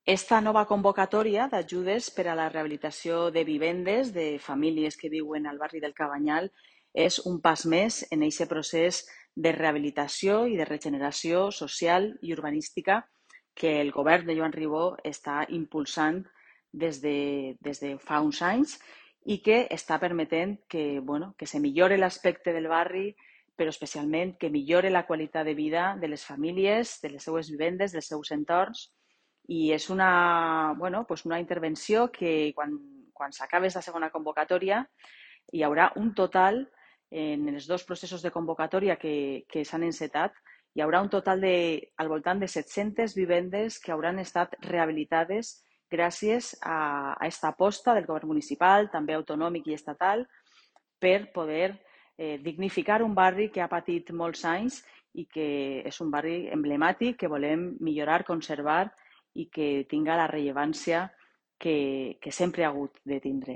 Esta nova convocatòria d'ajudes per a la rehabilitació de vivendes de famílies que viuen al barri del Cabanyal és un pas més en aquest procés de rehabilitació i de regeneració social i urbanística que el govern de Joan Ribó està impulsant des de fa uns anys i que està permetent que se millore l'aspecte del barri, però especialment que millore la qualitat de vida de les famílies, de les seues vivendes, dels seus entorns. I és una intervenció que quan s'acabi la segona convocatòria hi haurà un total, en els dos processos de convocatòria que s'han encetat, hi haurà un total al voltant de 700 vivendes que hauran estat rehabilitades gràcies a aquesta aposta del govern municipal, també autonòmic i estatal, per poder dignificar un barri que ha patit molts anys i que és un barri emblemàtic que volem millorar, conservar i que tinga la rellevància que sempre ha hagut de tindre.